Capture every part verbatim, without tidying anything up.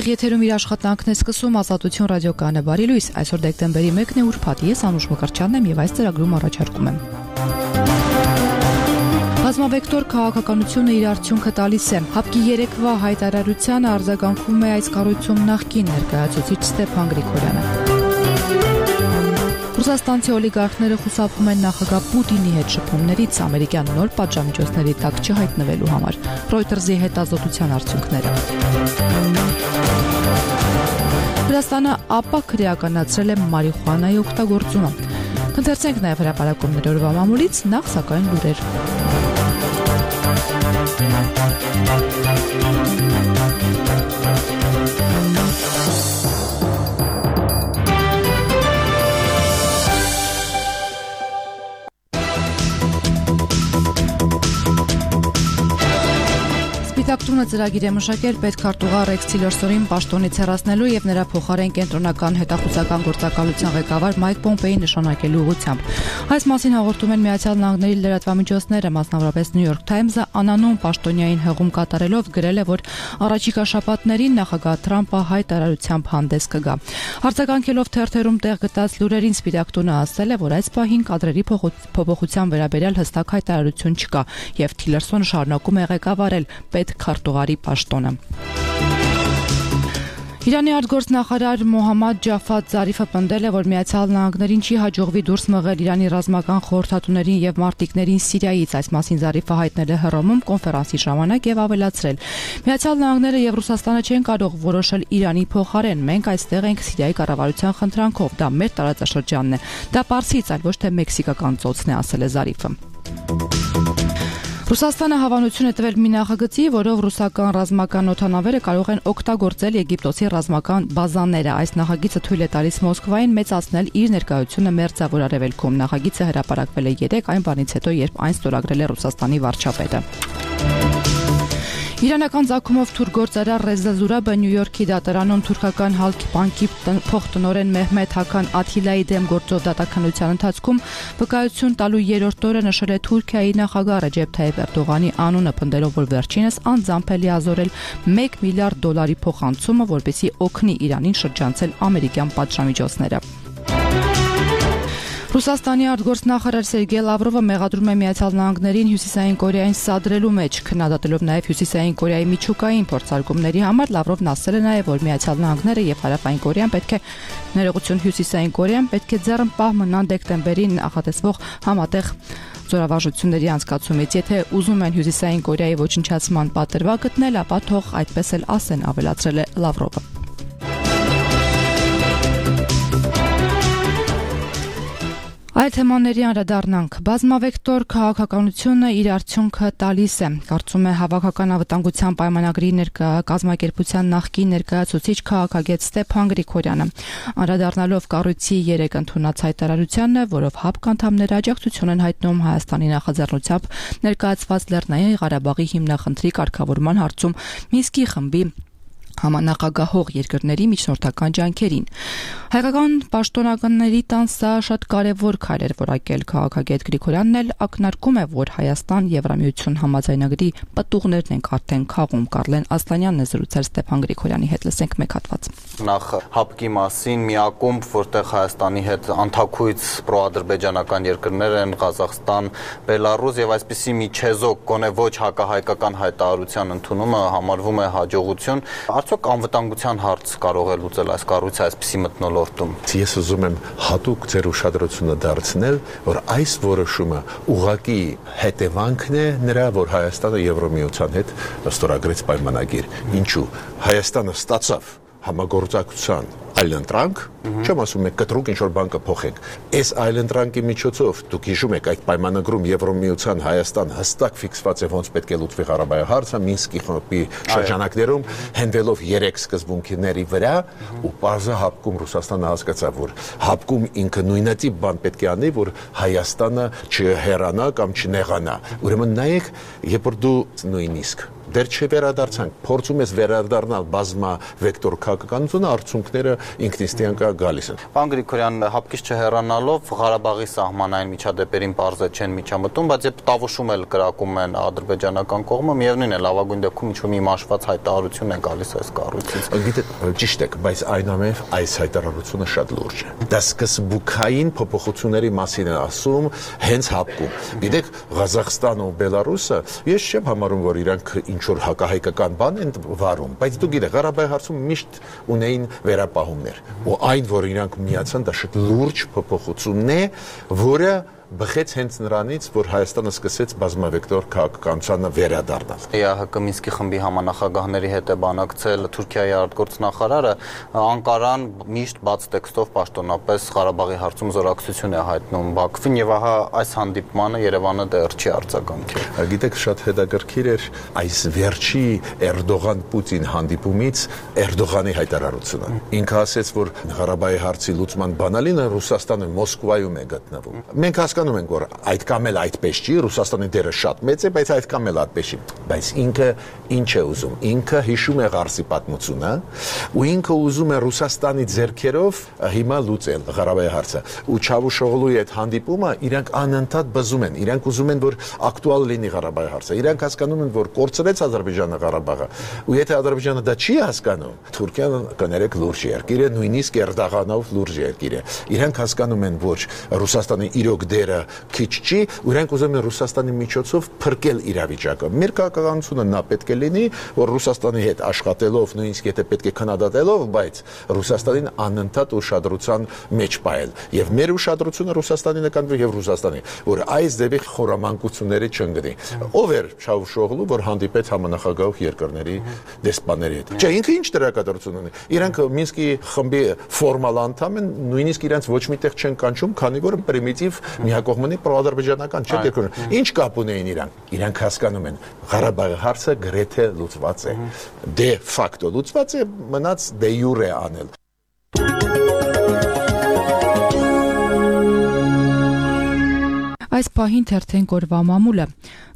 Եթերում իր աշխատանքն է սկսում Ազատություն ռադիոկայանը բարի լույս, այսօր դեկտեմբերի մեկն է ուրբաթ, ես Անուշ Մկրտչյանն եմ եւ այս ծրագրում առաջարկում եմ։ Բազմավեկտոր քաղաքականությունը իր արդյունքը տալիս է։ Հապկի երեկվա հայտարարությանը արձագանքում է այս կառույցում նախկին ներկայացուցիչ Ստեփան Գրիգորյանը։ Ռուսաստանցի օլիգարխները խուսափում են նախագահ Պուտինի հետ շփումներից ամերիկյան նոր պատժամիջոցների տակ չհայտնվելու համար։ Reuters-ի հետազոտության արդյունքները։ Վրաստանը ապա քրեականացրել է մարիխուանայի օգտագործումը։ Կընթերցենք նաև հրապարակումների օրվա մամուլից, նախ սակայն լուրեր։ Տակտունը ծրագիր է մշակել պետքարտուղար Ռեքս Թիլերսոնին պաշտոնից հեռացնելու եւ նրա փոխարեն կենտրոնական հետախուզական գործակալության ղեկավար Մայք Պոմպեյին նշանակելու ուղղությամբ։ Այս մասին հաղորդում են Միացյալ Նահանգների լրատվամիջոցները, մասնավորապես New York Times-ը անանուն պաշտոնյային հղում կատարելով գրել է, որ առաջիկա շաբաթներին նախագահ Թրամփը հայտարարությամբ հանդես կգա։ Արձագանքելով թերթերում տեղ գտած լուրերին Սպիտակ տունը ասել է, որ այս պահին կադրերի փոփոխության վերաբերյալ հստակ հայտարարություն չկա եւ Թիլերսոնը շարունակում է ղեկավարել պետ քարտուղարի պաշտոնը։ Իրանի արտգործնախարար Մոհամմադ Ջաֆադ Զարիֆը պնդել է, որ Միացյալ Նահանգներին չի հաջողվի դուրս մղել Իրանի ռազմական խորհրդատուներին եւ մարտիկներին Սիրիայից, այս մասին Զարիֆը հայտնել է Հռոմում կոնֆերանսի ժամանակ եւ ավելացրել. Միացյալ Նահանգները եւ Ռուսաստանը չեն կարող որոշել Իրանի փոխարեն, մենք այստեղ ենք Սիրիայի կառավարության խնդրանքով, դա մեր տարածաշրջանն է, դա Պարսից, այլ ոչ թե մեքսիկական ծոցն է, ասել է Զարիֆը։ Ռուսաստանը հավանություն է տվել մի նախագծի, որով ռուսական ռազմական օդանավերը կարող են օգտագործել Եգիպտոսի ռազմական բազաները։ Այս նախագիծը թույլ է տալիս Մոսկվային մեծացնել իր ներկայությունը Մերձավոր Արևելքում։ Նախագիծը հրապարակվել է երեկ, այն բանից հետո, երբ այն ստորագրել է Ռուսաստանի վարչապետը։ Իրանական ցակումով թուրքգործարար Ռեզա Զուրաբը Նյու Յորքի դատարանում թուրքական Հալքի բանկի փոխտնօրեն Մեհմեդ Հական Աթիլայի դեմ գործով դատականության ընթացքում վկայություն տալու երրորդ օրը նշել է Թուրքիայի նախագահ Ռեջեփ Թայիփ Էրդողանի անունը, պնդելով, որ վերջինս անձամբ է լիազորել մեկ միլիարդ դոլարի փոխանցումը, որպեսզի օգնի Իրանին շրջանցել ամերիկյան պատժամիջոցները։ Ռուսաստանի արտգործնախարար Սերգեյ Լավրովը մեղադրում է Միացյալ Նահանգներին Հյուսիսային Կորեային սադրելու մեջ, քննադատելով նաև Հյուսիսային Կորեայի միջուկային փորձարկումների համար։ Լավրովն ասել է նաև, որ Միացյալ Նահանգները եւ Հարավային Կորեան պետք է ներողություն Հյուսիսային Կորեան պետք է ձեռնպահ մնան դեկտեմբերին նախատեսվող համատեղ զորավարժությունների անցկացումից։ Եթե ուզում են Հյուսիսային Կորեայի ոչնչացման պատրվակ գտնել, ապա թող այդպես էլ ասեն, ավելացրել է Լավրովը։ Այդ թեմաների անդրադառնանք։ Բազմավեկտոր քաղաքականությունը իր արդյունքը տալիս է, կարծում է Հավաքական անվտանգության պայմանագրի ներկա կազմակերպության նախկին ներկայացուցիչ քաղաքագետ Ստեփան Գրիգորյանը, անդրադառնալով կառույցի երեք ընդունած հայտարարությանը, որով ՀԱՊԿ անդամները աջակցություն են հայտնում Հայաստանի նախաձեռնությամբ ներկայացված Լեռնային Ղարաբաղի հիմնախնդրի կարգավորման հարցում Մինսկի խմբի համանախագահող երկրների միջնորդական ջանքերին։ Հայկական պաշտոնյաների տան սա շատ կարևոր քայլ էր որակել քաղաքագետ Գրիգորյանն էլ ակնարկում է, որ Հայաստան Եվրամիություն համաձայնագրի պտուղներն են արդեն քաղում։ Կարլեն Ասլանյանն է զրուցել Ստեփան Գրիգորյանի հետ, լսենք մեկ հատված։ Նախ ՀԱՊԿ-ի մասին մի ակումբ, որտեղ Հայաստանի հետ անթաքույց պրոադրբեջանական երկրներ են, Ղազախստան, Բելարուս եւ այսպիսի մի չեզոք գոնե ոչ հակահայկական հայտարարության ընդունումը համարվում է հաջողություն։ Արդյոք անվտանգության հարց կարող է լուծել այս կառույցը այսպիսի մթնոլորտում։ Ես ուզում եմ հատուկ ձեր ուշադրությունը դարձնել, որ այս որոշումը ուղղակի հետևանքն է նրա, որ Հայաստանը Եվրամիության հետ ստորագրեց պայմանագիր։ Ինչու՞։ Հայաստանը ստացավ համագործակցության այլընտրանք, չեմ ասում եք կտրուկ ինչ-որ բան կփոխենք։ Այս այլընտրանքի միջոցով դուք հիշում եք այդ պայմանագրում Եվրամիության Հայաստան հստակ ֆիքսված է ոնց պետք է լուծվի Ղարաբաղի հարցը Մինսկի խմբի շրջանակներում, հենվելով երեք սկզբունքների վրա, ու պարզը ՀԱՊԿ-ում Ռուսաստանը հասկացավ, որ ՀԱՊԿ-ում ինքը նույնատիպ բան պետք է անի, որ Հայաստանը չհեռանա կամ չնեղանա։ Ուրեմն նայեք, երբ որ դու նույնիսկ դեռ չվերադարձանք, փորձում ես վերադառնալ բազմա վեկտոր քաղաքականությունը, արդյունքները ինքնիստյան կա գալիս են։ Պարոն Գրիգորյան, հապկից չհեռանալով Ղարաբաղի սահմանային միջադեպերին բարձր չեն միջամտում, բայց երբ տավուշում էլ կրակում են ադրբեջանական կողմը, միևնույն է, լավագույն դեպքում ինչ-որ մի մաշված հայտարարություն է գալիս այս կառույցից։ Գիտեք, ճիշտ է, բայց այնուամենայնիվ այս հայտարարությունը շատ լուրջ է։ Դա սկզբունքային փոփոխությունների մասին է ասում, հենց հապկում։ Գիտեք, Ղազախստանը ու Բելարուսը, ես չեմ համարում, որ իրանք ինչ-որ հակահայկական բան են վարում, բայց դու գիտես, Ղարաբաղի հարցում միշտ ունեին վերապահումներ։ Ու այն, որ իրանք միացան, դա շատ լուրջ փոփոխությունն է, որը բխեց հենց նրանից, որ Հայաստանը սկսեց բազմավեկտոր քաղաքականությանը վերադառնալ։ ԵԱՀԿ Մինսկի խմբի համանախագահների հետ է բանակցել Թուրքիայի արտգործնախարարը, Անկարան միշտ բաց տեքստով պաշտոնապես Ղարաբաղի հարցում զորակցություն է հայտնում Բաքվին, եւ ահա այս հանդիպմանը Երևանը դեռ չի արձագանքել։ Գիտեք, շատ հետաքրքիր էր այս վերջի Էրդողան-Պուտին հանդիպումից Էրդողանի հայտարարությունը։ Ինքը ասաց, որ Ղարաբաղի հարցի լուծման բանալինը Ռուսաստանը Մոսկվայում է գտնվում։ Մենք հասկանում ենք, որ այդ կամ էլ այդպես չի, Ռուսաստանի դերը շատ մեծ է, բայց այդ կամ էլ այդպես չի։ Բայց ինքը ինչ է ուզում։ Ինքը հիշում է Ղարսի պատմությունը, ու ինքը ուզում է Ռուսաստանի ձեռքերով հիմա լուծել Ղարաբաղի հարցը։ Ու Չավուշօղլուի այդ հանդիպումը իրանք անընդհատ բզում են։ Իրանք ուզում են, որ ակտուալ լինի Ղարաբաղի հարցը։ Իրանք հասկանում են, որ կորցրեց Ադրբեջանը Ղարաբաղը։ Ու եթե Ադրբեջանը դա չի հասկանում, Թուրքիան կներեք լուրջ երկիր է, նույնիսկ Էրդողանով լուրջ երկիր է։ Իրանք հասկանում են, որ Ռուսաստանը իրոք դերը քիչ չի, ու իրանք ուզում են Ռուսաստանի միջոցով փրկել իրավիճակը։ Մեր քաղաքականությունը նա պետք է լինի, որ Ռուսաստանի հետ աշխատելով, նույնիսկ եթե պետք է քննադատելով, բայց Ռուսաստանին անընդհատ ուշադրության մեջ պահել։ Եվ մեր ուշադրությունը Ռուսաստանի նկատմամբ եւ Ռուսաստանի, որ այս դեպի խորամանկությունների չընկնի։ Ով էր Չավուշօղլու, որ հանդիպեց համանախագահող երկրների դեսպանների հետ։ Չէ, ինքը ինչ դերակատարություն ունի։ Իրանք Մինսկի խմբի ֆորմալ անդամ են, նույնիսկ իրանք ոչ միտեղ չեն կանչում, քանի որ պրիմիտիվ միակողմանի պրոադրբեջանական չէ երկրներ։ Ինչ կապ ունեին իրանք։ Իրանք հասկանում են, Ղարաբաղի հարցը գրեթե լուծված է։ Դե ֆակտո լուծված է, մնաց դե յուրե անել։ Այս պահին թերթեն կորվա մամուլը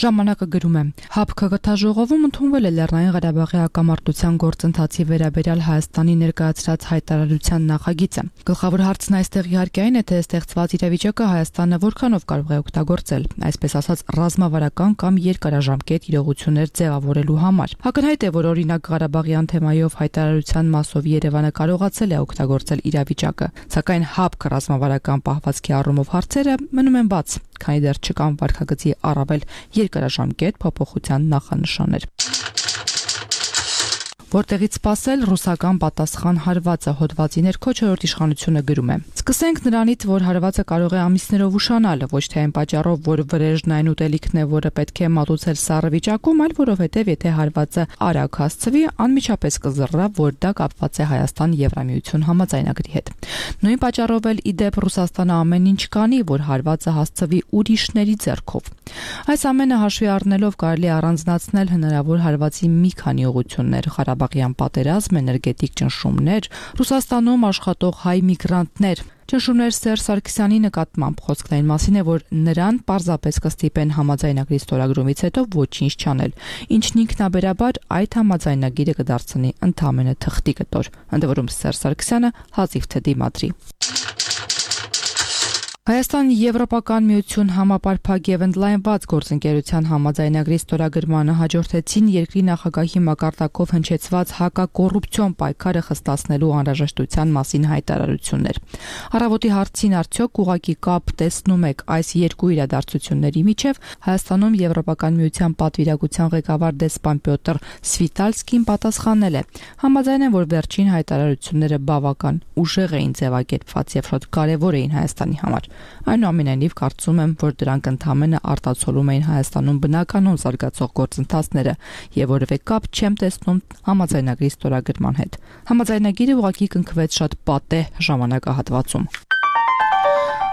ժամանակը գրում է. ՀԱՊԿ գթաժողովում ընդունվել է Լեռնային Ղարաբաղի հակամարտության գործընթացի վերաբերյալ Հայաստանի ներկայացրած հայտարարության նախագիծը։ Գլխավոր հարցն այստեղ իհարկե այն է, թե ստեղծված իրավիճակը Հայաստանը որքանով կարող է օգտագործել, այսպես ասած, ռազմավարական կամ երկարաժամկետ իրողություններ ձևավորելու համար։ Ակնհայտ է, որ օրինակ Ղարաբաղյան թեմայով հայտարարության մասով Երևանը կարողացել է օգտագործել իրավիճակը, սակայն ՀԱՊԿ ռազմավարական պահվածքի առումով հարցերը մնում են բաց, քանի դեռ չկան վարքագծի առավել երկարաժամկետ փոփոխության նախանշաններ։ Որտեղից սпасել ռուսական պատասխան հարվածը հոդվածի ներքո չորրորդ իշխանությունը գրում է. Սկսենք նրանից, որ հարվածը կարող է ամիսներով ուշանալ, ոչ թե այն պատճառով, որ վրեժն այն ուտելիքն է, որը պետք է մատուցել սառը վիճակում, այլ որովհետև եթե հարվածը արագ հասցվի, անմիջապես կզռա, որ դա կապված է Հայաստան-Եվրամիություն համաձայնագրի հետ։ Նույն պատճառով էլ իդեպ Ռուսաստանը ամեն ինչ կանի, որ հարվածը հասցվի ուրիշների ձեռքով։ Այս ամենը հաշվի առնելով կարելի առանձնացնել հնարավոր հարվածի մի քանի ուղղություններ՝ Ղարաբաղյան պատերազմ, էներգետիկ ճնշումներ, Ռուսաստանում աշխատող հայ միգրանտներ։ Ճնշումներ Սերժ Սարգսյանի նկատմամբ խոսքն այն մասին է, որ նրան պարզապես կստիպեն համաձայնագրի ստորագրումից հետո ոչինչ չանել, ինչն ինքնաբերաբար այդ համաձայնագիրը կդարձնի ընդամենը թղթի կտոր, ընդ որում Սերժ Սարգսյանը հազիվ թե դիմադրի։ Հայաստան-Եվրոպական միություն համապարփակ եւ ընդլայնված գործընկերության համաձայնագրի ստորագրմանը հաջորդեցին երկրի նախագահի մակարդակով հնչեցված հակակոռուպցիոն պայքարը խստացնելու անհրաժեշտության մասին հայտարարություններ։ Առավոտի հարցին արդյոք ուղղակի կապ տեսնում եք այս երկու իրադարձությունների միջև, Հայաստանում Եվրոպական միության պատվիրակության ղեկավար դեսպան Պյոտր Սվիտալսկին պատասխանել է. համաձայն են, որ վերջին հայտարարությունները բավական ուժեղ էին ձևակերպված եւ շատ կարեւոր էին Հայաստանի համար։ Այնուամենայնիվ կարծում եմ, որ դրանք ընդհանրապես արտացոլում էին Հայաստանում բնականon զարգացող գործընթացները եւ որևէ կապ չեմ տեսնում համաձայնագրի ստորագրման հետ։ Համաձայնագիրը ուղղակի կնքվեց շատ պատեհ ժամանակահատվածում։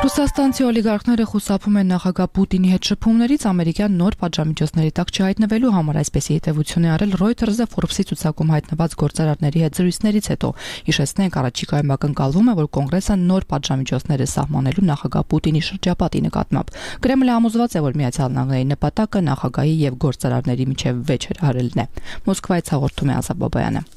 Ռուսաստանցի օլիգարխները խուսափում են նախագահ Պուտինի հետ շփումներից ամերիկյան նոր պատժամիջոցների տակ չհայտնվելու համար, այսպեսի հետևություն է արել Reuters-ը Forbes-ի ցուցակում հայտնված գործարարների հետ զրույցներից հետո։ Հիշեցնենք, առաջիկայում ակնկալվում է, որ կոնգրեսը նոր պատժամիջոցներ է սահմանելու նախագահ Պուտինի շրջապատի նկատմամբ։ Կրեմլը համոզված է, որ Միացյալ Նահանգների նպատակը նախագահի եւ գործարարների միջև վեճ հրահրելն է։ Մոսկվայից հաղորդում է Ազատ Բաբայանը։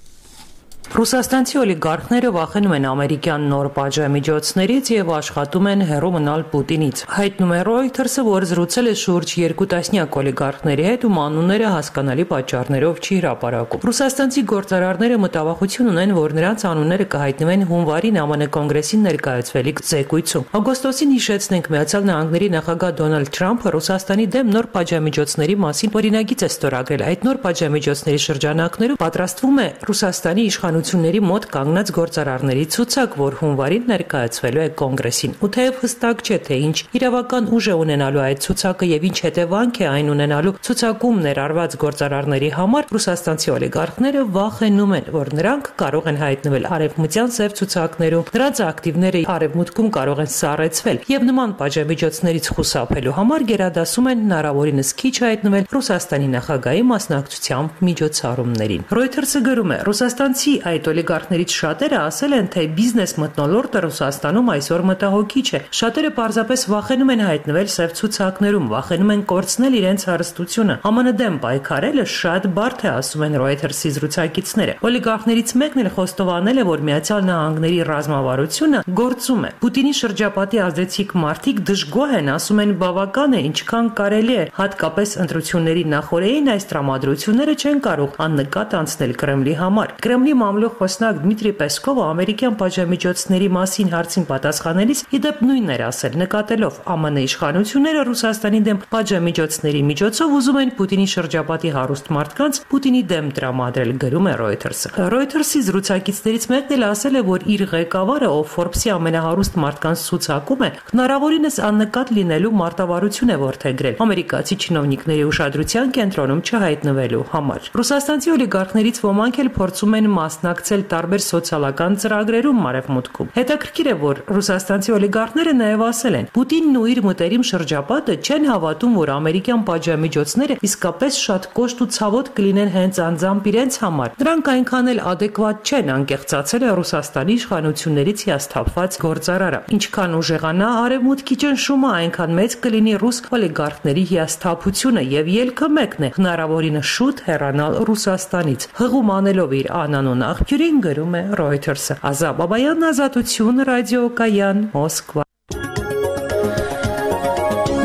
Ռուսաստանցի օլիգարխները վախենում են ամերիկյան նոր պատժամիջոցներից եւ աշխատում են հեռու մնալ Պուտինից։ Հայտնում է Reuters-ը, որ զրուցել է շուրջ երկու տասնյակ օլիգարխների հետ, ում անունները հասկանալի պատճառներով չի հրապարակում։ Ռուսաստանցի գործարարները մտավախություն ունեն, որ նրանց անունները կհայտնվեն հունվարին ԱՄՆ կոնգրեսին ներկայացվելիք զեկույցում։ Օգոստոսին հիշեցնենք, Միացյալ Նահանգների նախագահ Դոնալդ Թրամփը Ռուսաստանի դեմ նոր պատժամիջոցների մասին օրինագիծ է ստորագրել։ Այդ նոր պատժամիջոցների շրջանակներում պատրաստվում է Ռուսաստանի իշխանությունների մոտ կանգնած գործարարների ցուցակ, որ հունվարին ներկայացվելու է կոնգրեսին։ Ու թեև հստակ չէ, թե ինչ իրավական ուժ է ունենալու այդ ցուցակը եւ ինչ հետևանք է այն ունենալու ցուցակում ներառված գործարարների համար, ռուսաստանցի օլիգարխները վախենում են, որ նրանք կարող են հայտնվել արևմտյան սև ցուցակներում, նրանց ակտիվները արևմուտքում կարող են սառեցվել եւ նման պատժամիջոցներից խուսափելու համար գերադասում են հնարավորինս քիչ հայտնվել Ռուսաստանի նախագահի մասնակցությամբ միջոցառումներին։ Reuters-ը գրում է. Ռուսաստանցի այդ օլիգարխներից շատերը ասել են, թե բիզնես մթնոլորտը Ռուսաստանում այսօր մտահոգիչ է։ Շատերը պարզապես վախենում են հայտնվել սև ցուցակներում, վախենում են կորցնել իրենց հարստությունը։ ԱՄՆ դեմ պայքարելը շատ բարդ է, ասում են Reuters-ի զրուցակիցները։ Օլիգարխներից մեկն էլ խոստովանել է, որ Միացյալ Նահանգների ռազմավարությունը գործում է։ Պուտինի շրջապատի ազդեցիկ մարդիկ դժգոհ են, ասում են բավական է, ինչքան կարելի է, հատկապես ընտրությունների նախօրեին այս տրամադրությունները չեն կարող աննկատ անցնել Կրեմլի համար։ Կրեմլի մամլոյ խոսնակ Դմիտրի Պեսկովը ամերիկյան պատժամիջոցների մասին հարցին պատասխանելիս իդեպ նույնն էր ասել, նկատելով ԱՄՆ իշխանությունները Ռուսաստանի դեմ պատժամիջոցների միջոցով ուզում են Պուտինի շրջապատի հարուստ մարդկանց Պուտինի դեմ տրամադրել, գրում է Reuters-ը։ Reuters-ի զրուցակիցներից մեկն էլ ասել է, որ իր ղեկավարը, ով Forbes-ի ամենահարուստ մարդկանց ցուցակում է, հնարավորինս աննկատ լինելու մարտավարություն է որդեգրել ամերիկացի չինովնիկների ուշադրության կենտրոնում չհայտնվելու համար։ Ռուսաստանցի օլիգարխներից ոմանք էլ փորձում են մասնակցել տարբեր սոցիալական ծրագրերում Արևմուտքում։ Հետաքրքիր է, որ ռուսաստանցի օլիգարխները նաև ասել են, Պուտինն ու իր մտերիմ շրջապատը չեն հավատում, որ ամերիկյան պատժամիջոցները իսկապես շատ կոշտ ու ցավոտ կլինեն հենց անձամբ իրենց համար։ Դրանք այնքան էլ ադեկվատ չեն, անկեղծացել է Ռուսաստանի իշխանություններից հիասթափված գործարարը։ Ինչքան ուժեղանա Արևմուտքի ճնշումը, այնքան մեծ կլինի ռուս օլիգարխների հիասթափությունը եւ ելքը մեկն է՝ հնարավորինս շուտ հեռանալ Ռուսաստանից։ Հղում անելով իր անանուն աղբյուրին, գրում է Reuters-ը։ Ազատ Բաբայան, Ազատություն, ռադիոկայան, Մոսկվա։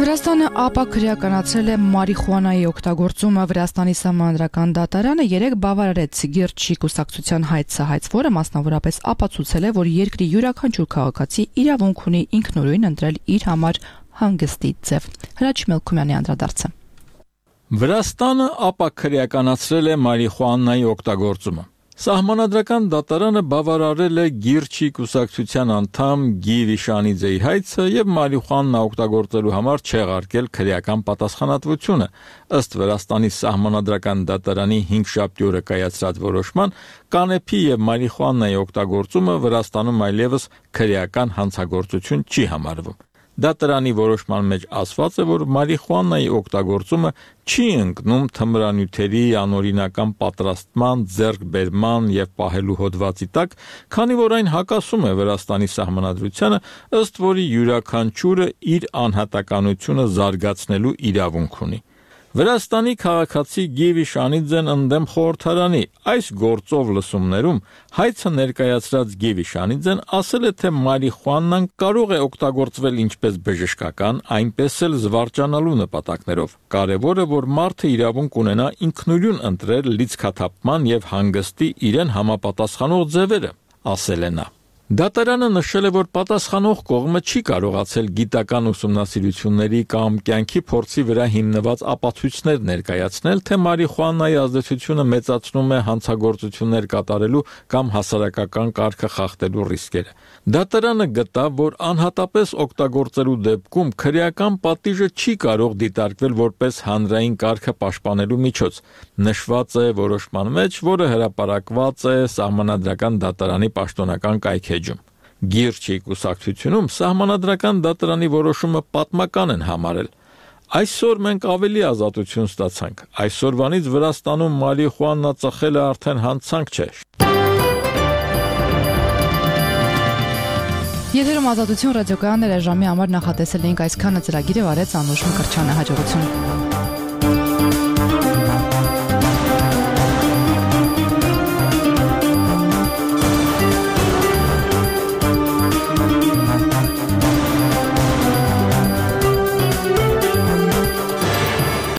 Վրաստանը ապա քրեականացրել է մարիխուանայի օգտագործումը։ Վրաստանի սահմանադրական դատարանը երեկ բավարարեց Գերչի կուսակցության հայցը հայց, որը մասնավորապես ապացուցել է, որ երկրի յուրաքանչյուր քաղաքացի իրավունք ունի ինքնուրույն ընտրել իր համար հանգստի ձև։ Հրաչ Մելքումյանի անդրադարձը։ Վրաստանը ապա քրեականացրել է մարիխուանայի օգտագործումը։ Սահմանադրական դատարանը բավարարել է Գիրչի կուսակցության անդամ Գի Վիշանիձեի հայցը եւ մարիխուանա օգտագործելու համար չեղարկել քրեական պատասխանատվությունը։ Ըստ Վրաստանի սահմանադրական դատարանի հինգշաբթի օրը կայացրած որոշման, կանեփի եւ մարիխուանայի օգտագործումը Վրաստանում այլևս քրեական հանցագործություն չի համարվում։ Դատարանի որոշման մեջ ասված է, որ մարիխուանայի օգտագործումը չի ընկնում թմրանյութերի անօրինական պատրաստման, ձեռքբերման եւ պահելու հոդվածի տակ, քանի որ այն հակասում է Վրաստանի սահմանադրությանը, ըստ որի յուրաքանչյուրը իր անհատականությունը զարգացնելու իրավունք ունի։ Վրաստանի քաղաքացի Գի Վիշանիձեն ընդդեմ խորհրդարանի այս գործով լսումներում հայցը ներկայացրած Գի Վիշանիձեն ասել է, թե մարիխուանան կարող է օգտագործվել ինչպես բժշկական, այնպես էլ զվարճանալու նպատակներով։ Կարևորը, որ մարդը իրավունք ունենա ինքնուրույն ընտրել լիցքաթափման եւ հանգստի իրեն համապատասխանող ձևերը, ասել է նա։ Դատարանը նշել է, որ պատասխանող կողմը չի կարողացել գիտական ուսումնասիրությունների կամ կյանքի փորձի վրա հիմնված ապացույցներ ներկայացնել, թե մարիխուանայի ազդեցությունը մեծացնում է հանցագործություններ կատարելու կամ հասարակական կարգը խախտելու ռիսկերը։ Դատարանը գտավ, որ անհատապես օգտագործելու դեպքում քրեական պատիժը չի կարող դիտարկվել որպես հանրային կարգը պաշտպանելու միջոց։ Նշված է որոշման մեջ, որը հրապարակված է սահմանադրական դատարանի պաշտոնական կայքէջում։ Գիրչի կուսակցությունում սահմանադրական դատարանի որոշումը պատմական են համարել։ Այսօր մենք ավելի ազատություն ստացանք։ Այսօրվանից Վրաստանում մարիխուանա ծխելը արդեն հանցանք չէ։ Եթերում ազատություն ռադիոկայաններ ժամի համար նախատեսել էինք այսքանը ծրագիրը վարեց Անուշ Մկրտչյանը, հաջողություն։